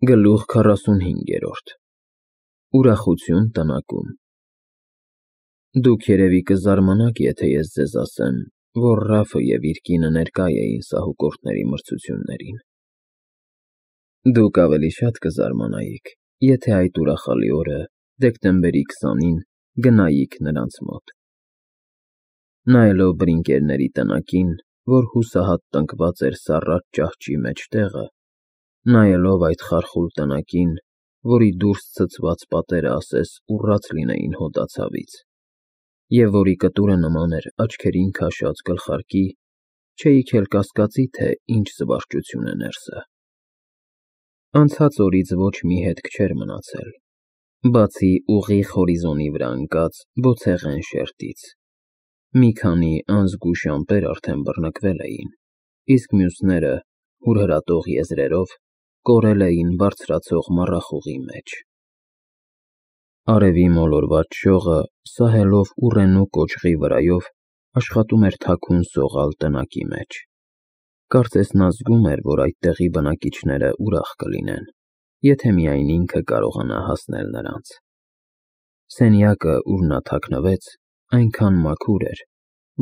Գլուխ 45 Ուրախություն տնակում Դուք երևի կզարմանաք, եթե ես ձեզ ասեմ, որ Ռաֆը և իր կինը ներկա էին սահուկորդների մրցություններին։ Դուք ավելի շատ կզարմանայիք, եթե այդ ուրախալի օրը, դեկտեմբերի 20-ին, գնայիք նրանց մոտ։ Նայելով բրինկերների տնակին, որ հուսահատ տնկված էր սառած ճահճի մեջտեղը, նայելով այդ խարխուլ տնակին, որի դուրս ցցված պատերը ասես ուռած լինեին հոդացավից, և որի կտուրը նման էր աչքերին քաշած գլխարկի, չէիք էլ կասկածի, թե ինչ զվարճություն է ներսը։ Անցած օրից ոչ մի հետք չէր մնացել, բացի ուղիղ հորիզոնի վրա ընկած բոցեղեն շերտից։ Մի քանի անզգույշ ամպեր արդեն բռնկվել էին, իսկ մյուսները, հուրհրատող եզրերով, կորել էին բարձրացող մառախուղի մեջ։ Արևի մոլորված շողը, սահելով ուռենու կոճղի վրայով, աշխատում էր թաքուն սողալ տնակի մեջ։ Կարծես նա զգում էր, որ այդտեղի բնակիչները ուրախ կլինեն, եթե միայն ինքը կարողանա հասնել նրանց։ Սենյակը, ուր նա թաքնվեց, այնքան մաքուր էր,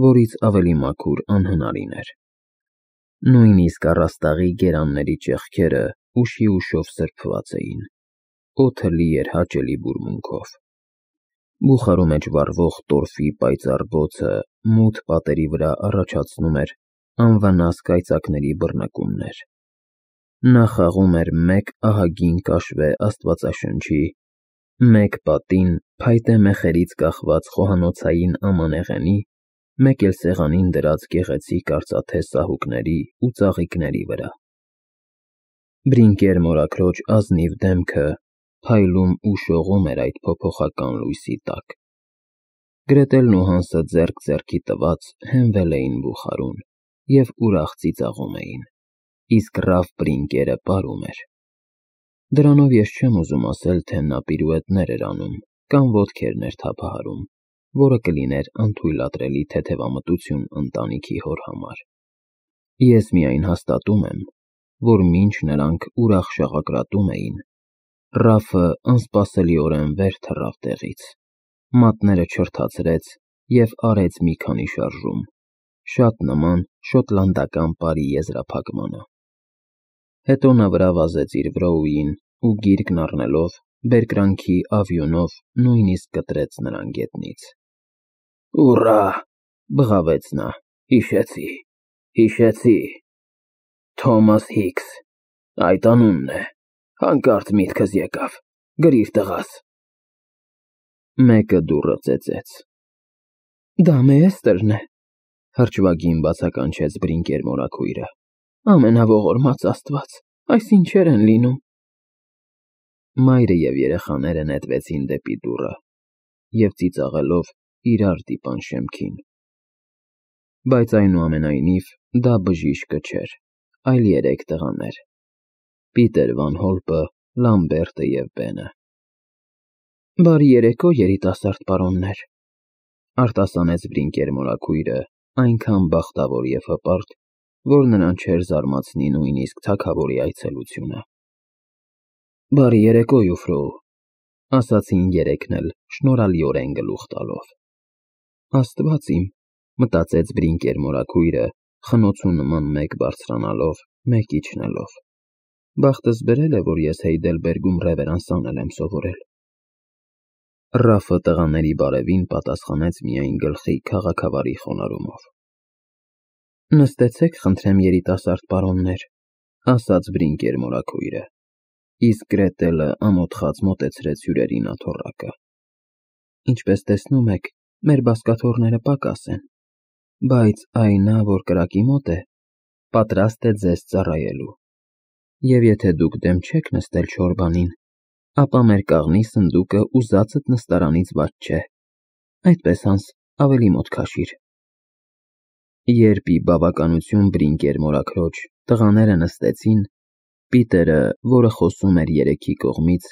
որից ավելի մաքուր անհնարին էր։ Նույնիսկ առաստաղի գերանների ճեղքերը ուշիուշով սրբված էին, օդը լի էր հաճելի բուրմունքով։ Բուխարու մեջ վառվող տորֆի պայծառ բոցը մութ պատերի վրա առաջացնում էր անվնաս կայծակների բռնկումներ։ Նա խաղում էր մեկ ահագին կաշվե աստվածաշնչի, մեկ պատին փայտե մեխերից կախված խոհանոցային ամանեղենի, մեկ էլ սեղանին դրած գեղեցիկ արծաթե սահուկների ու ծաղիկների վրա։ Բրինկեր մորաքրոջ ազնիվ դեմքը փայլում ու շողում էր այդ փոփոխական լույսի տակ։ Գրետելն ու Հանսը ձեռք ձեռքի տված հենվել էին բուխարուն և ուրախ ծիծաղում էին, իսկ Ռաֆ Բրինկերը պարում էր։ Դրանով ես չեմ ուզում ասել, թե նա պիրուետներ էր անում կամ ոտքերներ թափահարում, որը կլիներ անթույլատրելի թեթևամտություն ընտանիքի հոր համար։ Ես միայն հաստատում եմ, որ մինչ նրանք ուրախ շաղակրատում էին, Ռաֆը անսպասելիորեն վեր թռավ տեղից, մատները չրթացրեց և արեց մի քանի շարժում, շատ նման շոտլանդական պարի եզրափակմանը։ Հետո նա վրա վազեց իր վրոուին ու գիրկն առնելով, բերկրանքի ավյունով նույնիսկ կտրեց նրան գետնից։ «Ուռա», բղավեց նա, հիշեցի, Թոմաս Հիքս, այդ անունն է, հանկարծ միտքս եկավ, գրիր տղաս։ Մեկը դուռը ծեծեց։ «Դա Մեեստերն է», հրճվագին բացականչեց Բրինկեր մորաքույրը։ «Ամենաողորմած Աստված, այս ինչեր են լինում»։ Մայրը և երեխաները նետվեցին դեպի դուռը և ծիծաղելով իրար դիպան շեմքին։ Բայց այնուամենայնիվ դա բժիշկը չէր, այլ երեք տղաներ՝ Պիտեր Վան Հոլպը, Լամբերտը և Բենը։ «Բարի երեկո, երիտասարդ պարոններ», արտասանեց Բրինկեր մորաքույրը այնքան բախտավոր և հպարտ, որ նրան չէր զարմացնի նույնիսկ թագավորի այցելությունը։ «Բարի երեկո, Յուֆրոու», ասացին երեքն էլ շնորհալիորեն գլուխ տալով։ Աստված իմ, մտածեց Բրինկեր մորաքույրը, խնոցու նման մեկ բարձրանալով, մեկ իջնելով։ Բախտս բերել է, որ ես Հեյդելբերգում ռևերանս անել եմ սովորել։ Ռաֆը տղաների բարևին պատասխանեց միայն գլխի քաղաքավարի խոնարհումով։ «Նստեցեք, խնդրեմ, երիտասարդ պարոններ», ասաց Բրինկեր մորաքույրը, իսկ Գրետելը ամոթխած մոտեցրեց հյուրերին աթոռակը։ «Ինչպես տեսնում եք, մեր բազկաթոռները պակաս են, բայց այ նա, որ կրակի մոտ է, պատրաստ է ձեզ ծառայելու, և եթե դուք դեմ չեք նստել չորբանին, ապա մեր կաղնի սնդուկը ուզածդ նստարանից վատ չէ, այդպես, Հանս, ավելի մոտ քաշիր»։ Երբ ի բավականություն Բրինկեր մորաքրոջ տղաները նստեցին, Պիտերը, որը խոսում էր երեքի կողմից,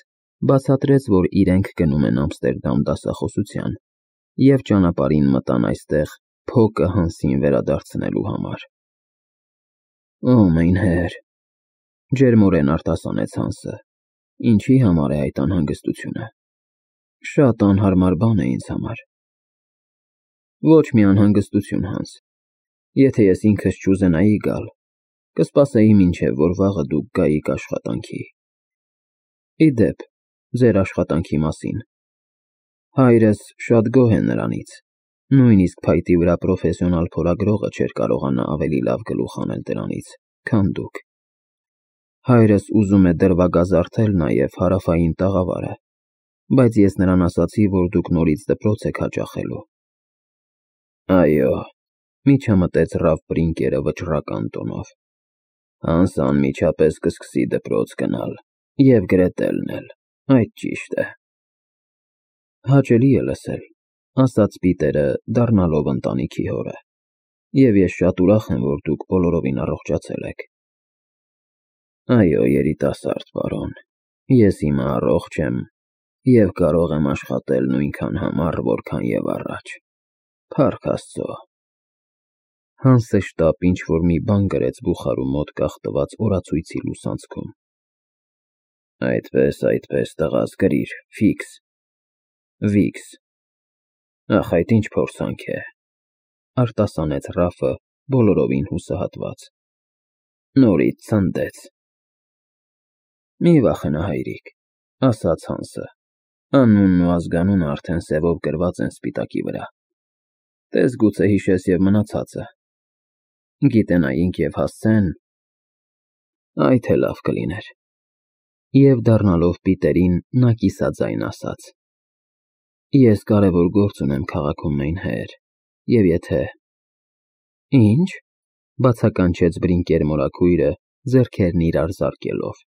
բացատրեց, որ իրենք գնում են Ամստերդամ դասախոսության և ճանապարհին մտան այստեղ փոկը Հանսին վերադարձնելու համար։ «Օ, մեյն հեր», ջերմորեն արտասանեց Հանսը, Ինչի համար է այդ անհանգստությունը։ Շատ անհարմար բան է ինձ համար։ Ոչ մի անհանգստություն, Հանս։ Եթե ես ինքս չուզենայի գալ, կսպասեի մինչև որ վաղը դուք գայիք աշխատանքի։ Ի դեպ, ձեր աշխատանքի մասին։ Հայրս շատ գոհ է նրանից, նույնիսկ փայտի վրա պրոֆեսիոնալ փորագրողը չէր կարողանա ավելի լավ գլուխ անել դրանից, քան դուք։ Հայրս ուզում է դրվագազարդել նաև հարավային տաղավարը, բայց ես նրան ասացի, որ դուք նորից դպրոց եք հաճախելու։ Այո, միջամտեց Ռաֆ Բրինկերը վճռական տոնով։ Հանս անմիջապես կսկսի դպրոց գնալ և գրետելն էլ, այդ ճիշտ է։ Հաճելի է լսել, ասաց Պիտերը, դառնալով ընտանիքի հորը, և ես շատ ուրախ եմ, որ դուք բոլորովին առողջացել եք։ Այո, երիտասարդ պարոն, ես հիմա առողջ եմ և կարող եմ աշխատել նույնքան համառ, որքան և առաջ, փառք Աստծո։ Հանսը շտապ ինչ-որ մի բան գրեց բուխարու մոտ կախտված օրացույցի լուսանցքում։ Այդպես, տղաս, գրիր, Վիքս։ Ախ, այդ ինչ փորձանք է, արտասանեց Ռաֆը բոլորովին հուսահատված։ Նորից ցնդեց։ Մի վախենա, հայրիկ, ասաց Հանսը, անունն ու ազգանունը արդեն սևով գրված են սպիտակի վրա։ Տես գուցե հիշես և մնացածը։ Գիտենայինք և հասցեն։ Այդ է լավ կլիներ։ Եվ դառնալով Պիտերին, նա կիսաձայն ասաց. Ես կարևոր գործ ունեմ քաղաքում մայնհեր, և եթե… Ինչ, բացականչեց Բրինկեր մորաքույրը, ձեռքերն իրար զարկելով։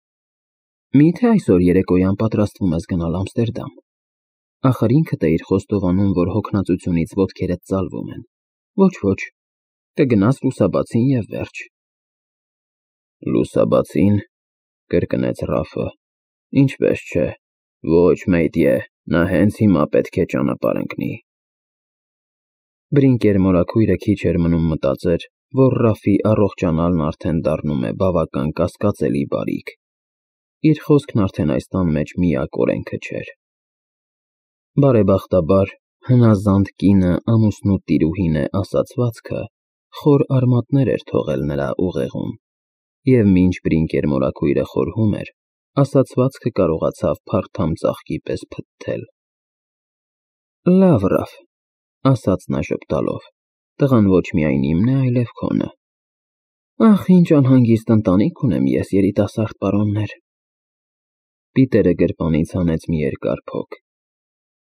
Միթե այսօր երեկոյան պատրաստվում ես գնալ Ամստերդամ։ Ախր ինքդ էիր խոստովանում, որ հոգնածությունից ոտքերդ ծալվում են։ Ոչ, կգնաս լուսաբացին և վերջ։ Լուսաբացին, կրկնեց Ռաֆը, ինչպես չէ, ոչ մեյդիե, նա հենց հիմա պետք է ճանապարհ ընկնի։ Բրինկեր մորաքույրը քիչ էր մնում մտածեր, որ Ռաֆի առողջանալն արդեն դառնում է բավական կասկածելի բարիք։ Իր խոսքն արդեն այս տան մեջ միակ օրենքը չէր։ Բարեբախտաբար, հնազանդ կինը ամուսնու տիրուհին է ասացվածքը խոր արմատներ էր թողել նրա ուղեղում, և մինչ Բրինկեր մորաքույրը խորհում էր, ասացվածքը կարողացավ փարթամ ծաղկի պես փթթել։ Լավ, Ռաֆ, ասաց նա ժպտալով, տղան ոչ միայն իմն է, այլև քոնը։ Ախ, ինչ անհանգիստ ընտանիք ունեմ ես, երիտասարդ պարոններ։ Պիտերը գրպանից հանեց մի երկար փոք։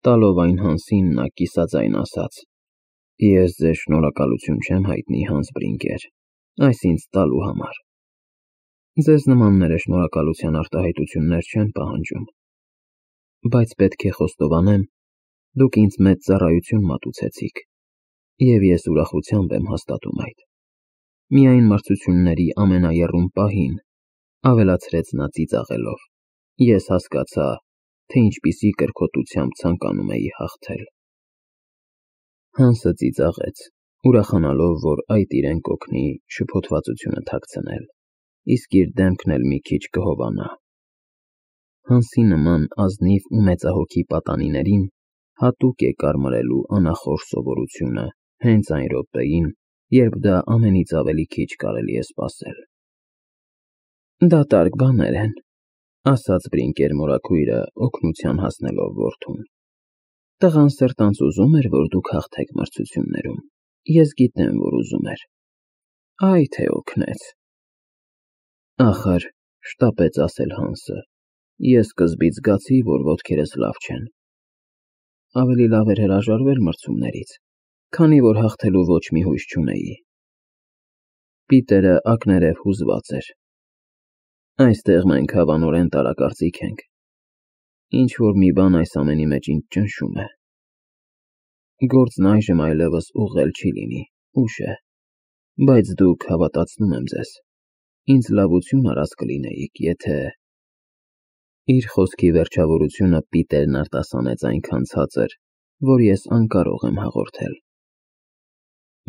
Տալով այն Հանսին, նա կիսաձայն ասաց. Ես ձեզ շնորհակալություն չեմ հայտնի, Հանս Բրինկեր, այս ինձ տալու համար։ Ձեզ նմանները շնորհակալության արտահայտություններ չեն պահանջում։ Բայց պետք է խոստովանեմ, դուք ինձ մեծ ծառայություն մատուցեցիք, և ես ուրախությամբ եմ հաստատում այդ։ Միայն մրցությունների ամենաեռուն պահին, ավելացրեց նա ծիծաղելով, ես հասկացա, թե ինչպիսի կրքոտությամբ ցանկանում էի հաղթել։ Հանսը ծիծաղեց, ուրախանալով, որ այդ իրեն կօգնի շփոթվածությունը թաքցնել, իսկ իր դեմքն էլ մի քիչ կհովանա։ Հանսի նման ազնիվ ու մեծահոգի պատանիներին հատուկ է կարմրելու անախորժ սովորությունը հենց այն րոպեին, երբ դա ամենից ավելի քիչ կարելի է սպասել։ Դատարկ բաներ են, ասաց Բրինկեր մորաքույրը, օգնության հասնելով որդուն։ Տղան սրտանց ուզում էր, որ դուք հաղթեք մրցություններում, ես գիտեմ, որ ուզում էր։ Այ թե օգնեց։ Ախր, շտապեց ասել Հանսը, ես սկզբից զգացի, որ ոտքերս լավ չեն։ Ավելի լավ էր հրաժարվել մրցումներից, քանի որ հաղթելու ոչ մի հույս չունեի։ Պիտերը ակներև հուզված էր։ Այստեղ մենք հավանորեն տարակարծիք ենք։ Ինչ-որ մի բան այս ամենի մեջ ինձ ճնշում է։ Գործն այժմ այլևս ուղղել չի լինի, ուշ է, բայց դուք, հավատացնում եմ ձեզ, ինձ լավություն արած կլինեիք, եթե… Իր խոսքի վերջավորությունը Պիտերն արտասանեց այնքան ցածր, որ ես անկարող եմ հաղորդել։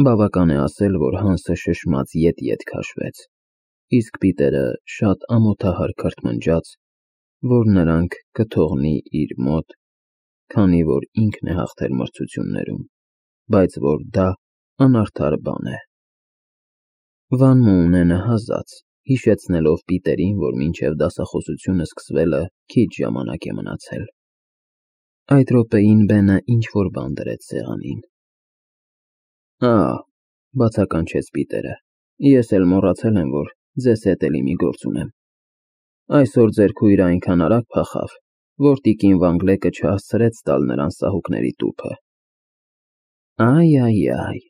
Բավական է ասել, որ Հանսը շշմած ետ-ետ քաշվեց, իսկ Պիտերը շատ ամոթահար քրթմնջաց որ նրանք կթողնի իր մոտ, քանի որ ինքն է հաղթել մրցություններում, բայց որ դա անարդար բան է։ Վան Մոունենը հազաց, հիշեցնելով Պիտերին, որ մինչև դասախոսությունը սկսվելը քիչ ժամանակ է մնացել։ Այդ րոպեին Բենը ինչ-որ բան դրեց սեղանին։ Բացականչեց Պիտերը, ես էլ մոռացել եմ, որ ձեզ հետ էլի մի գործ ունեմ։ Այսօր ձեր քույրը այնքան արագ փախավ, որ տիկին Վանգլեկը չհասցրեց տալ նրան սահուկների տուփը։ Այ,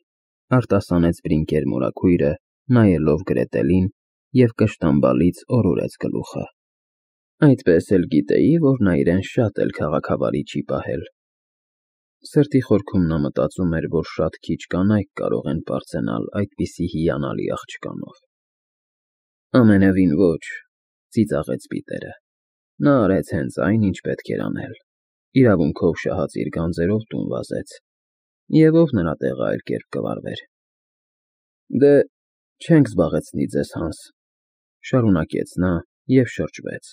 արտասանեց Բրինկեր մորաքույրը, նայելով Գրետելին և կշտամբալից օրորեց գլուխը։ Այդպես էլ գիտեի, որ նա իրեն շատ էլ քաղաքավարի չի պահել։ Սրտի խորքում նա մտածում էր, որ շատ քիչ կանայք կարող են պարծենալ այդպիսի հիանալի աղջկանով։ Ամենևին ոչ, ծիծաղեց Պիտերը։ Նա արեց հենց այն, ինչ պետք էր անել։ Իրավունքով շահած իր գանձերով տուն վազեց։ Եվ ով նրա տեղը այլ կերպ կվարվեր։ Դե, չենք զբաղեցնի ձեզ, Հանս, շարունակեց նա և շրջվեց։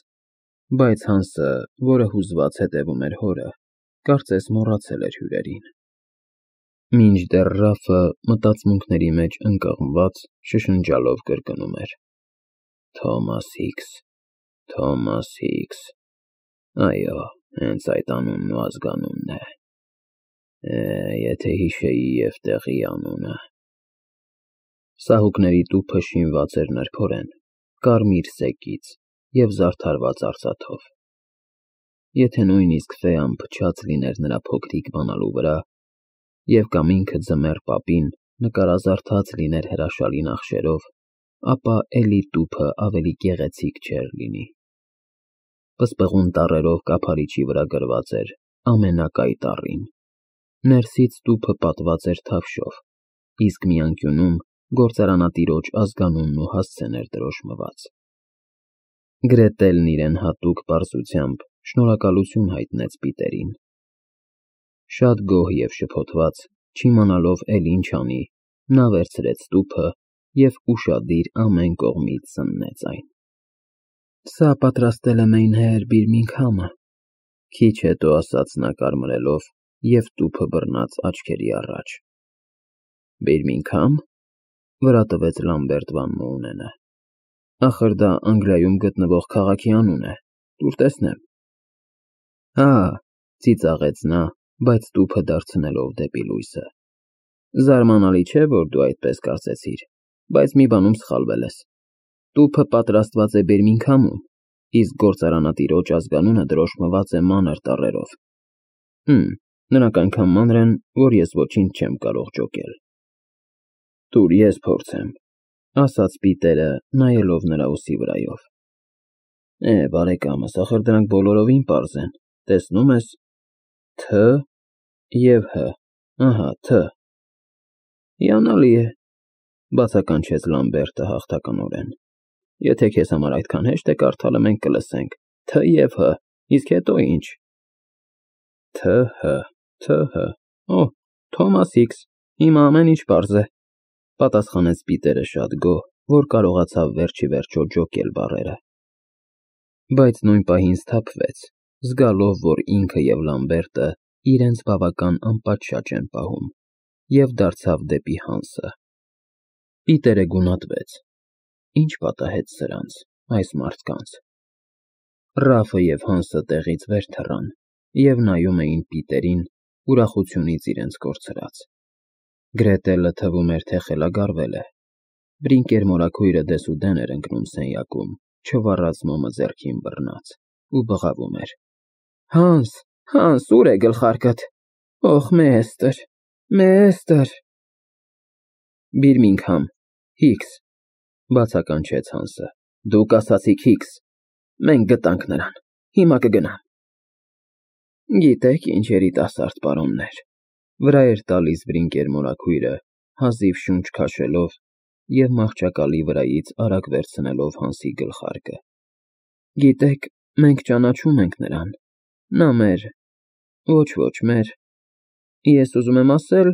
Բայց Հանսը, որը հուզված հետևում էր հորը, կարծես մոռացել էր հյուրերին։ Մինչդեռ Ռաֆը մտածմունքների մեջ ընկղմված շշնջալով կրկնում էր. Թոմաս Հիքս, Թոմաս Հիքս, այո, հենց այդ անունն ու ազգանունն է։ Եթե հիշեի և տեղի անունը։ Սահուկների տուփը շինված էր նրբորեն, կարմիր սեկից և զարդարված արծաթով։ Եթե նույնիսկ Ֆեան փչած լիներ նրա փոքրիկ բանալու վրա, և կամ ինքը ձմեռ պապին նկարազարդած լիներ հրաշալի նախշերով, ապա էլի տուփը ավելի գեղեցիկ չէր լինի։ Պսպղուն տառերով կափարիչի վրա գրված էր ամենակայ տառին։ Ներսից տուփը պատված էր թավշով, իսկ մի անկյունում գործարանատիրոջ ազգանունն ու հասցեն էր դրոշմված։ Գրետելն իրեն հատուկ պարզությամբ շնորհակալություն հայտնեց Պիտերին։ Շատ գոհ և շփոթված, չիմանալով էլ ինչ անի, նա վերցրեց տուփը և ուշադիր ամեն կողմից զննեց այն։ Սա պատրաստել է Մեյնհեր Բիրմինգհամը, քիչ հետո ասաց նա կարմրելով և տուփը բռնած աչքերի առաջ։ Բիրմինգհամ, վրա տվեց Լամբերտ Վան Մոունենը։ Ախր դա Անգլիայում գտնվող քաղաքի անուն է, տուր տեսնեմ։ Ծիծաղեց նա, բայց տուփը դարձնելով դեպի լույսը։ Զարմանալի չէ, որ դու այդպես կարծեցիր, բայց մի բանում սխալվել ես։ Տուփը պատրաստված է Բիրմինգհամում, իսկ գործարանատիրոջ ազգանունը դրոշմված է մանր տառերով։ Նրանք այնքան մանր են, որ ես ոչինչ չեմ կարող ջոկել։ Տուր ես փորձեմ, ասաց Պիտերը, նայելով նրա ուսի վրայով։ Բարեկամս, ախր դրանք բոլորովին պարզ են, տեսնում ես, Թ և Հ, Թ։ Հիանալի է, բացականչեց Լամբերտը հաղթականորեն։ Եթե քեզ համար այդքան հեշտ է կարդալը, մենք կլսենք Թ և Հ, իսկ հետո ինչ։ Თ, Հ, Թոմաս Հիքս, հիմա ամեն ինչ պարզ է, պատասխանեց Պիտերը շատ գոհ, որ կարողացավ վերջիվերջո ջոկել բառերը։ Բայց նույն պահին սթափվեց, զգալով, որ ինքը և Լամբերտը իրենց բավական անպատշաճ են պահում, և դարձավ դեպի Հանսը։ Պիտերը գունատվեց. Ինչ պատահեց սրանց, այս մարդկանց։ Ռաֆը և Հանսը տեղից վեր թռան և նայում էին Պիտերին, ուրախությունից իրենց կորցրած։ Գրետելը թվում էր, թե խելագարվել է։ Բրինկեր մորաքույրը դեսուդեն էր ընկնում սենյակում, չվառած մոմը ձեռքին բռնած, ու բղավում էր. Հանս, ուր է գլխարկդ։ Մեստր։ Բիրմինգհամ, Հիքս, բացականչեց Հանսը։ Դուք ասացիք Հիքս։ Մենք գտանք նրան, հիմա կգնամ։ Գիտեք ինչ երիտասարդ պարոններ, վրա էր տալիս Բրինկեր մորաքույրը, հազիվ շունչ քաշելով և մահճակալի վրայից արագ վերցնելով Հանսի գլխարկը։ Գիտեք, մենք ճանաչում ենք նրան, նա մեր, ոչ մեր, ես ուզում եմ ասել,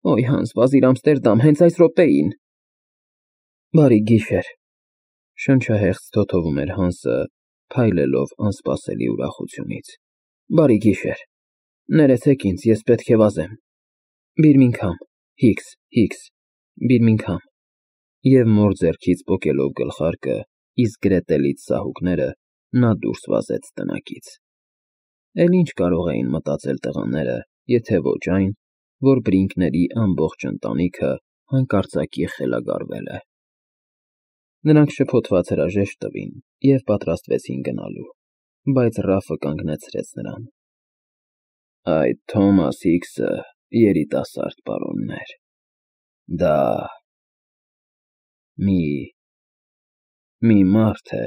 Հանս, վազիր Ամստերդամ, հենց այս րոպեին։ Բարի գիշեր, շնչահեղձ թոթովում էր Հանսը, փայլելով անսպասելի ուրախությունից։ Բարի գիշեր։ Ներեցեք ինձ, ես պետք է վազեմ։ Բիրմինգհամ, Հիքս, Բիրմինգհամ։ Եվ մոր ձեռքից պոկելով գլխարկը, իսկ գրետելից սահուկները, նա դուրս վազեց տնակից։ Էլ ինչ կարող էին մտածել տղաները, եթե ոչ այն, որ Բրինկների ամբողջ ընտանիքը հանկարծակի խելագարվել է։ Նրանք շփոթված հրաժեշտ տվին և պատրաստվեցին գնալու, բայց Ռաֆը կանգնեցրեց նրան։ Այդ Թոմաս Հիքսը երիտասարդ պարոնն էր։ Դա մի մարդ է։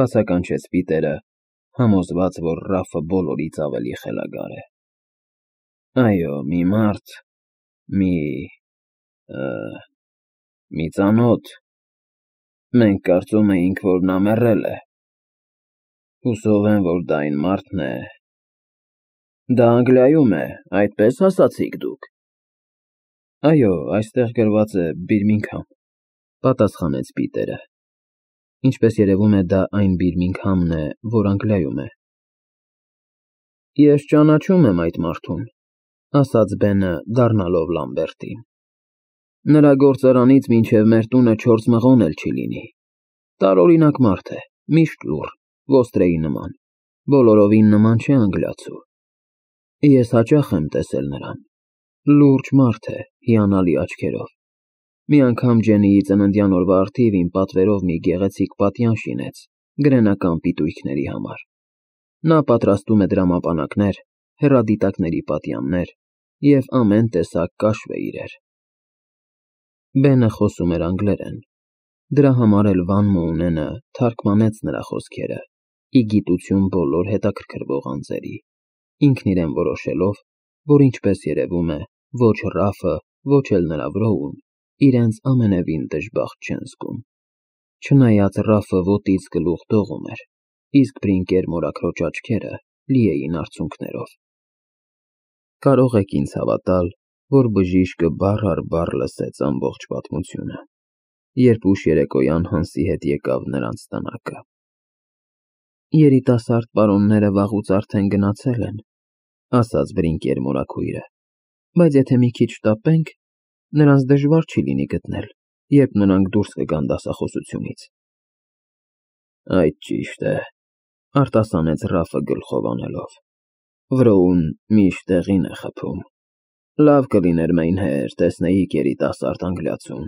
Բացականչեց Պիտերը, համոզված, որ Ռաֆը բոլորից ավելի խելագար է։ Այո, մի մարդ, մի ծանոթ։ Մենք կարծում էինք, որ նա մեռել է։ Հուսով եմ, որ դա այն մարդն է։ Դա Անգլիայում է, այդպես ասացիք դուք։ Այո, այստեղ գրված է Բիրմինգհամ, պատասխանեց Պիտերը։ Ինչպես երևում է, դա այն Բիրմինգհամն է, որ Անգլիայում է։ Ես ճանաչում եմ այդ մարդուն, ասաց Բենը, դառնալով Լամբերտին։ Նրա գործարանից մինչև մեր տունը 4 մղոն էլ չի լինի։ Տարօրինակ մարդ է, միշտ լուռ, ոստրեի նման, բոլորովին նման չէ անգլիացու։ Ես հաճախ եմ տեսել նրան։ Լուրջ մարդ է, հիանալի աչքերով։ Մի անգամ Ջենիի ծննդյան օրվա առթիվ իմ պատվերով մի գեղեցիկ պատյան շինեց գրենական պիտույքների համար։ Նա պատրաստում է դրամապանակներ, հեռադիտակների պատյաններ և ամեն տեսակ կաշվե իրեր։ Բենը խոսում էր անգլերեն։ Դրա համար էլ Վան Մոունենը թարգմանեց նրա խոսքերը, ի գիտություն բոլոր հետաքրքրվող անձերի, ինքն իրեն որոշելով, որ ինչպես երևում է, ոչ Ռաֆը, ոչ էլ նրա վրոուն իրենց ամենևին դժբախտ չեն զգում։ Չնայած Ռաֆը ոտից գլուխ դողում էր, իսկ Բրինկեր մորաքրոջ աչքերը լի էին արցունքներով։ Կարող եք ինձ հավատալ, որ բժիշկը բառ առ բառ լսեց ամբողջ պատմությունը, երբ ուշ երեկոյան Հանսի հետ եկավ նրանց տնակը։ Երիտասարդ պարոնները վաղուց արդեն գնացել են, ասաց Բրինկեր մորաքույրը, բայց եթե մի քիչ շտապենք, նրանց դժվար չի լինի գտնել, երբ նրանք դուրս կգան դասախոսությունից։ Այդ ճիշտ է, արտասանեց Ռաֆը գլխով անելով։ Վրոուն միշտ տեղին է խփում։ Լավ կլիներ մայնհեր, տեսնեիք երիտասարդ անգլիացուն,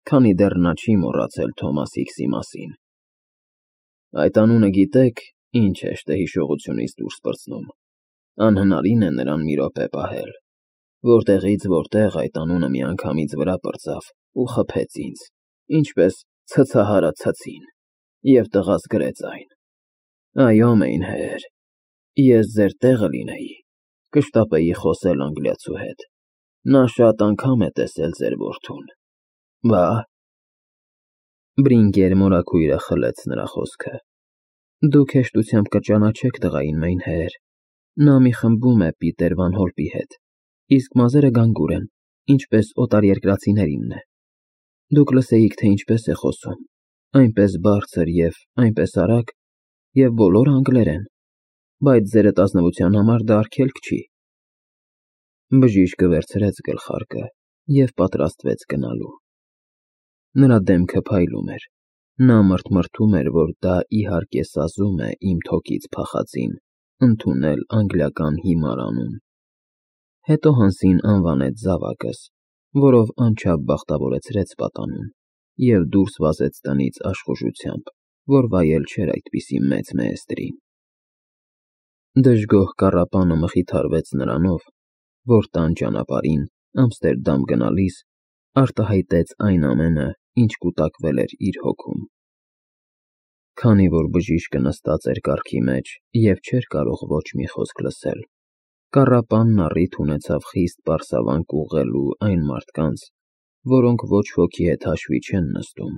քանի դեռ նա չի մոռացել Թոմաս Հիքսի մասին։ Այդ անունը գիտեք, ինչ հեշտ է հիշողությունից դուրս պրծնում։ Անհնարին է նրան մի րոպե պահել։ Որտեղից որտեղ այդ անունը միանգամից վրա պրծավ ու խփեց ինձ, ինչպես ցցահարը ցցին, և տղաս գրեց այն։ Այո, մայնհեր, ես ձեր տեղը լինեի, կշտապեի խոսել անգլիացու հետ։ Նա շատ անգամ է տեսել ձեր որդուն։ Բա։ Բրինկեր մորաքույրը խլեց նրա խոսքը։ Դուք հեշտությամբ կճանաչեք տղային, մայնհեր։ Նա մի խմբում է Պիտեր Վան Հոլպի հետ, իսկ մազերը գանգուր են, ինչպես օտարերկրացիներինն է։ Դուք լսեիք, թե ինչպես է խոսում, այնպես բարձր և այնպես արագ, և բոլորը անգլերեն, բայց ձերդ ազնվության համար դա արգելք չի։ Բժիշկը վերցրեց գլխարկը և պատրաստվեց գնալու։ Նրա դեմքը փայլում էր։ Նա մրթմրթում էր, որ դա իհարկե սազում է իմ թոքից փախածին ընդունել անգլիական հիմար անուն։ Հետո Հանսին անվանեց զավակս, որով անչափ բախտավորեցրեց պատանուն, և դուրս վազեց տնից աշխուժությամբ, որ վայել չէր այդպիսի մեծ մեեստրին։ Դժգոհ կառապանը մխիթարվեց նրանով, որ տան ճանապարհին Ամստերդամ գնալիս արտահայտեց այն ամենը, ինչ կուտակվել էր իր հոգում։ Քանի որ բժիշկը նստած էր կառքի մեջ և չէր կարող ոչ մի խոսք լսել, կառապանն առիթ ունեցավ խիստ պարսավանք ուղղելու այն մարդկանց, որոնք ոչ ոքի հետ հաշվի չեն նստում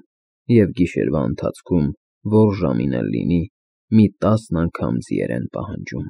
և գիշերվա ընթացքում, որ ժամին էլ լինի, մի 10 անգամ ձիեր են պահանջում։